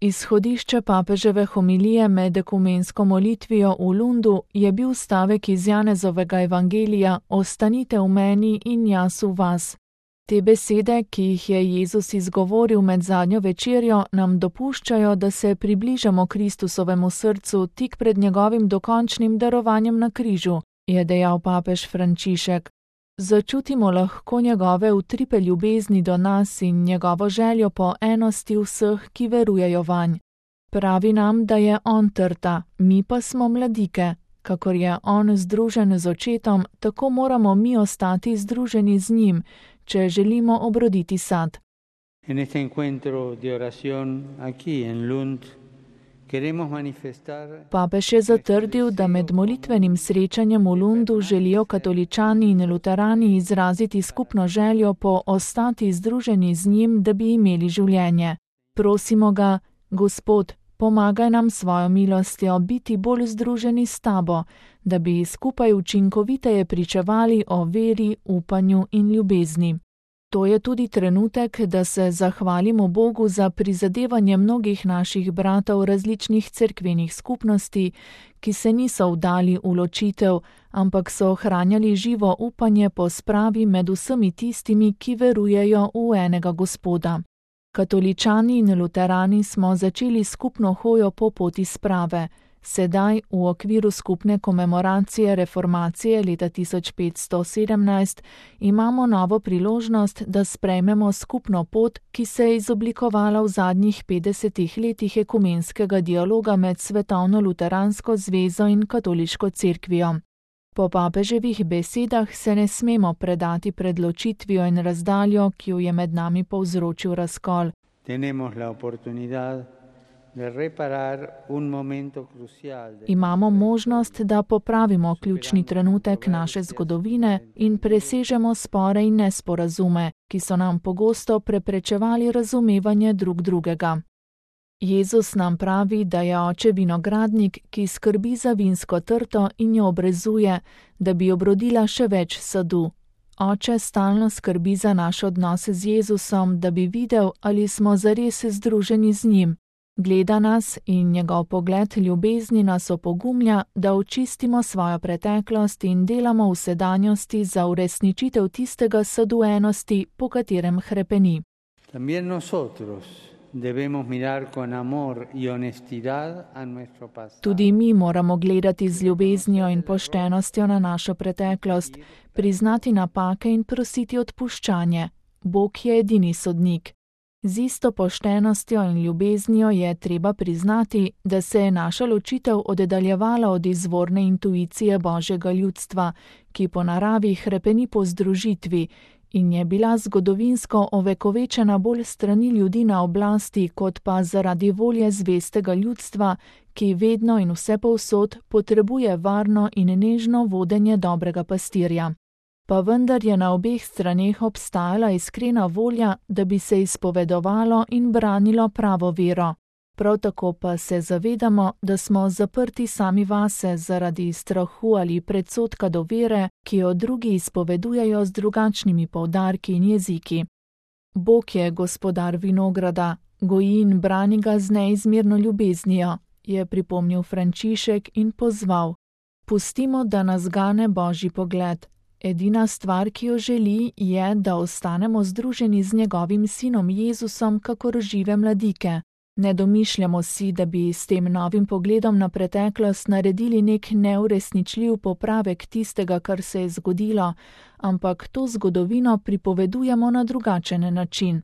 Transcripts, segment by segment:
Izhodišče papeževe homilije med ekumensko molitvijo v Lundu je bil stavek iz Janezovega evangelija: Ostanite v meni in jaz v vas. Te besede, ki jih je Jezus izgovoril med zadnjo večerjo, nam dopuščajo, da se približamo Kristusovemu srcu tik pred njegovim dokončnim darovanjem na križu, je dejal papež Frančišek. Začutimo lahko njegove utripe ljubezni do nas in njegovo željo po enosti vseh, ki verujejo vanj. Pravi nam, da je on trta, mi pa smo mladike. Kakor je on združen z očetom, tako moramo mi ostati združeni z njim, če želimo obroditi sad. En este encuentro de oración aquí en Lund queremos manifestar. Papež je zatrdil, da med molitvenim srečanjem v Lundu želijo katoličani in luterani izraziti skupno željo po ostati združeni z njim, da bi imeli življenje. Prosimo ga, Gospod, pomagaj nam svojo milostjo biti bolj združeni s tabo, da bi skupaj učinkoviteje pričevali o veri, upanju in ljubezni. To je tudi trenutek, da se zahvalimo Bogu za prizadevanje mnogih naših bratov različnih cerkvenih skupnosti, ki se niso vdali v ločitev, ampak so ohranjali živo upanje po spravi med vsemi tistimi, ki verujejo v enega Gospoda. Katoličani in luterani smo začeli skupno hojo po poti sprave. Sedaj, v okviru skupne komemoracije reformacije leta 1517, imamo novo priložnost, da sprejmemo skupno pot, ki se je izoblikovala v zadnjih 50 letih ekumenskega dialoga med Svetovno luteransko zvezo in katoliško cerkvijo. Po papeževih besedah se ne smemo predati pred ločitvijo in razdaljo, ki jo je med nami povzročil razkol. Imamo možnost, da popravimo ključni trenutek naše zgodovine in presežemo spore in nesporazume, ki so nam pogosto preprečevali razumevanje drug drugega. Jezus nam pravi, da je oče vinogradnik, ki skrbi za vinsko trto in jo obrezuje, da bi obrodila še več sadu. Oče stalno skrbi za naš odnos z Jezusom, da bi videl, ali smo zares združeni z njim. Gleda nas in njegov pogled ljubezni nas opogumlja, da očistimo svojo preteklost in delamo v sedanjosti za uresničitev tistega sadu enosti, po katerem hrepeni. Tudi mi moramo gledati z ljubeznijo in poštenostjo na našo preteklost, priznati napake in prositi odpuščanje. Bog je edini sodnik. Z isto poštenostjo in ljubeznijo je treba priznati, da se je naša ločitev oddaljevala od izvorne intuicije Božjega ljudstva, ki po naravi hrepeni po združitvi, in je bila zgodovinsko ovekovečena bolj strani ljudi na oblasti, kot pa zaradi volje zvestega ljudstva, ki vedno in vsepovsod potrebuje varno in nežno vodenje dobrega pastirja. Pa vendar je na obeh straneh obstajala iskrena volja, da bi se izpovedovalo in branilo pravo vero. Prav tako pa se zavedamo, da smo zaprti sami vase zaradi strahu ali predsodka do vere, ki jo drugi izpovedujejo z drugačnimi poudarki in jeziki. Bog je gospodar vinograda, goji in brani ga z neizmerno ljubeznijo, je pripomnil Frančišek in pozval. Pustimo, da nas gane Božji pogled. Edina stvar, ki jo želi, je, da ostanemo združeni z njegovim sinom Jezusom, kakor žive mladike. Ne domišljamo si, da bi s tem novim pogledom na preteklost naredili nek neuresničljiv popravek tistega, kar se je zgodilo, ampak to zgodovino pripovedujemo na drugačen način.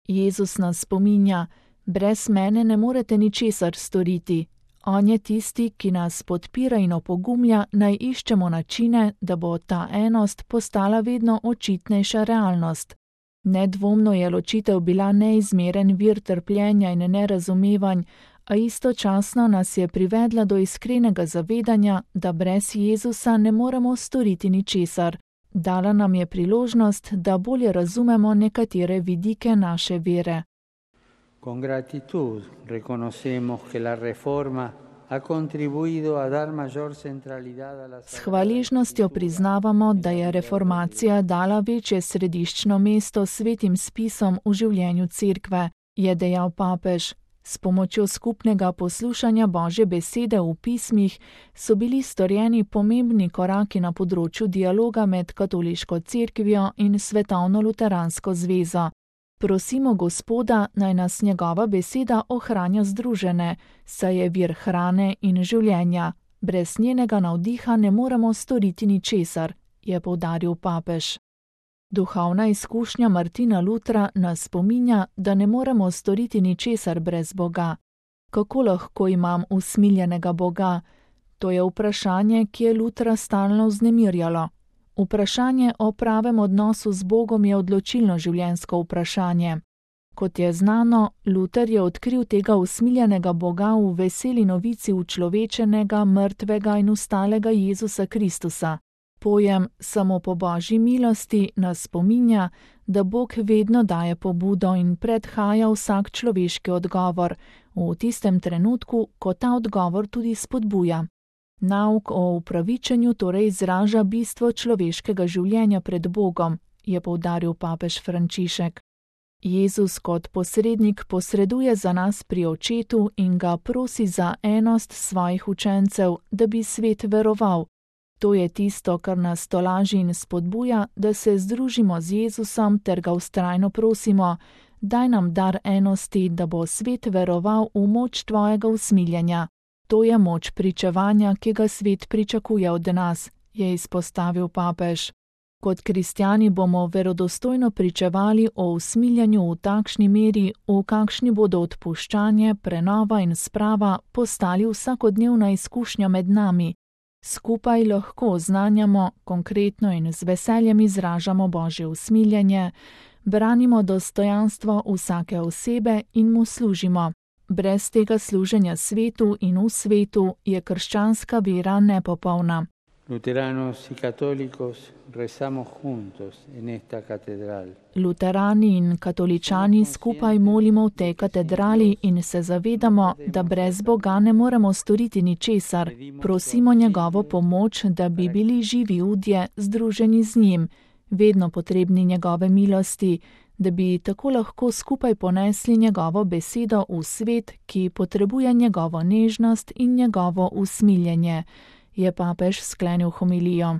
Jezus nas spominja, brez mene ne morete ničesar storiti. On je tisti, ki nas podpira in opogumlja, naj iščemo načine, da bo ta enost postala vedno očitnejša realnost. Nedvomno je ločitev bila neizmeren vir trpljenja in nerazumevanj, a istočasno nas je privedla do iskrenega zavedanja, da brez Jezusa ne moremo storiti ničesar. Dala nam je priložnost, da bolje razumemo nekatere vidike naše vere. Con gratitud reconocemos que la reforma ha contribuido a dar mayor centralidad a la. S hvaležnostjo priznavamo, da je reformacija dala večje središčno mesto svetim spisom v življenju cerkve, je dejal papež. S pomočjo skupnega poslušanja Božje besede v pismih so bili storjeni pomembni koraki na področju dialoga med Katoliško cerkvijo in Svetovno luteransko zvezo. Prosimo Gospoda, naj nas njegova beseda ohranja združene, saj je vir hrane in življenja. Brez njenega navdiha ne moremo storiti ničesar, je poudaril papež. Duhovna izkušnja Martina Lutra nas spominja, da ne moremo storiti ničesar brez Boga. Kako lahko imam usmiljenega Boga? To je vprašanje, ki je Lutra stalno vznemirjalo. Vprašanje o pravem odnosu z Bogom je odločilno življenjsko vprašanje. Kot je znano, Luter je odkril tega usmiljenega Boga v veseli novici učlovečenega, mrtvega in vstalega Jezusa Kristusa. Pojem samo po Božji milosti nas spominja, da Bog vedno daje pobudo in predhaja vsak človeški odgovor, v tistem trenutku, ko ta odgovor tudi spodbuja. Nauk o upravičenju torej izraža bistvo človeškega življenja pred Bogom, je poudaril papež Frančišek. Jezus kot posrednik posreduje za nas pri Očetu in ga prosi za enost svojih učencev, da bi svet veroval. To je tisto, kar nas tolaži in spodbuja, da se združimo z Jezusom ter ga vztrajno prosimo, daj nam dar enosti, da bo svet veroval v moč tvojega usmiljenja. To je moč pričevanja, ki ga svet pričakuje od nas, je izpostavil papež. Kot kristjani bomo verodostojno pričevali o usmiljanju v takšni meri, v kakšni bodo odpuščanje, prenova in sprava postali vsakodnevna izkušnja med nami. Skupaj lahko oznanjamo, konkretno in z veseljem izražamo Božje usmiljenje, branimo dostojanstvo vsake osebe in mu služimo. Brez tega služenja svetu in v svetu je krščanska vera nepopolna. Luteranos y católicos rezamos juntos en esta catedral. Luterani in katoličani skupaj molimo v tej katedrali in se zavedamo, da brez Boga ne moremo storiti ničesar. Prosimo njegovo pomoč, da bi bili živi ljudje, združeni z njim, vedno potrebni njegove milosti, da bi tako lahko skupaj ponesli njegovo besedo v svet, ki potrebuje njegovo nežnost in njegovo usmiljenje, je papež sklenil homilijo.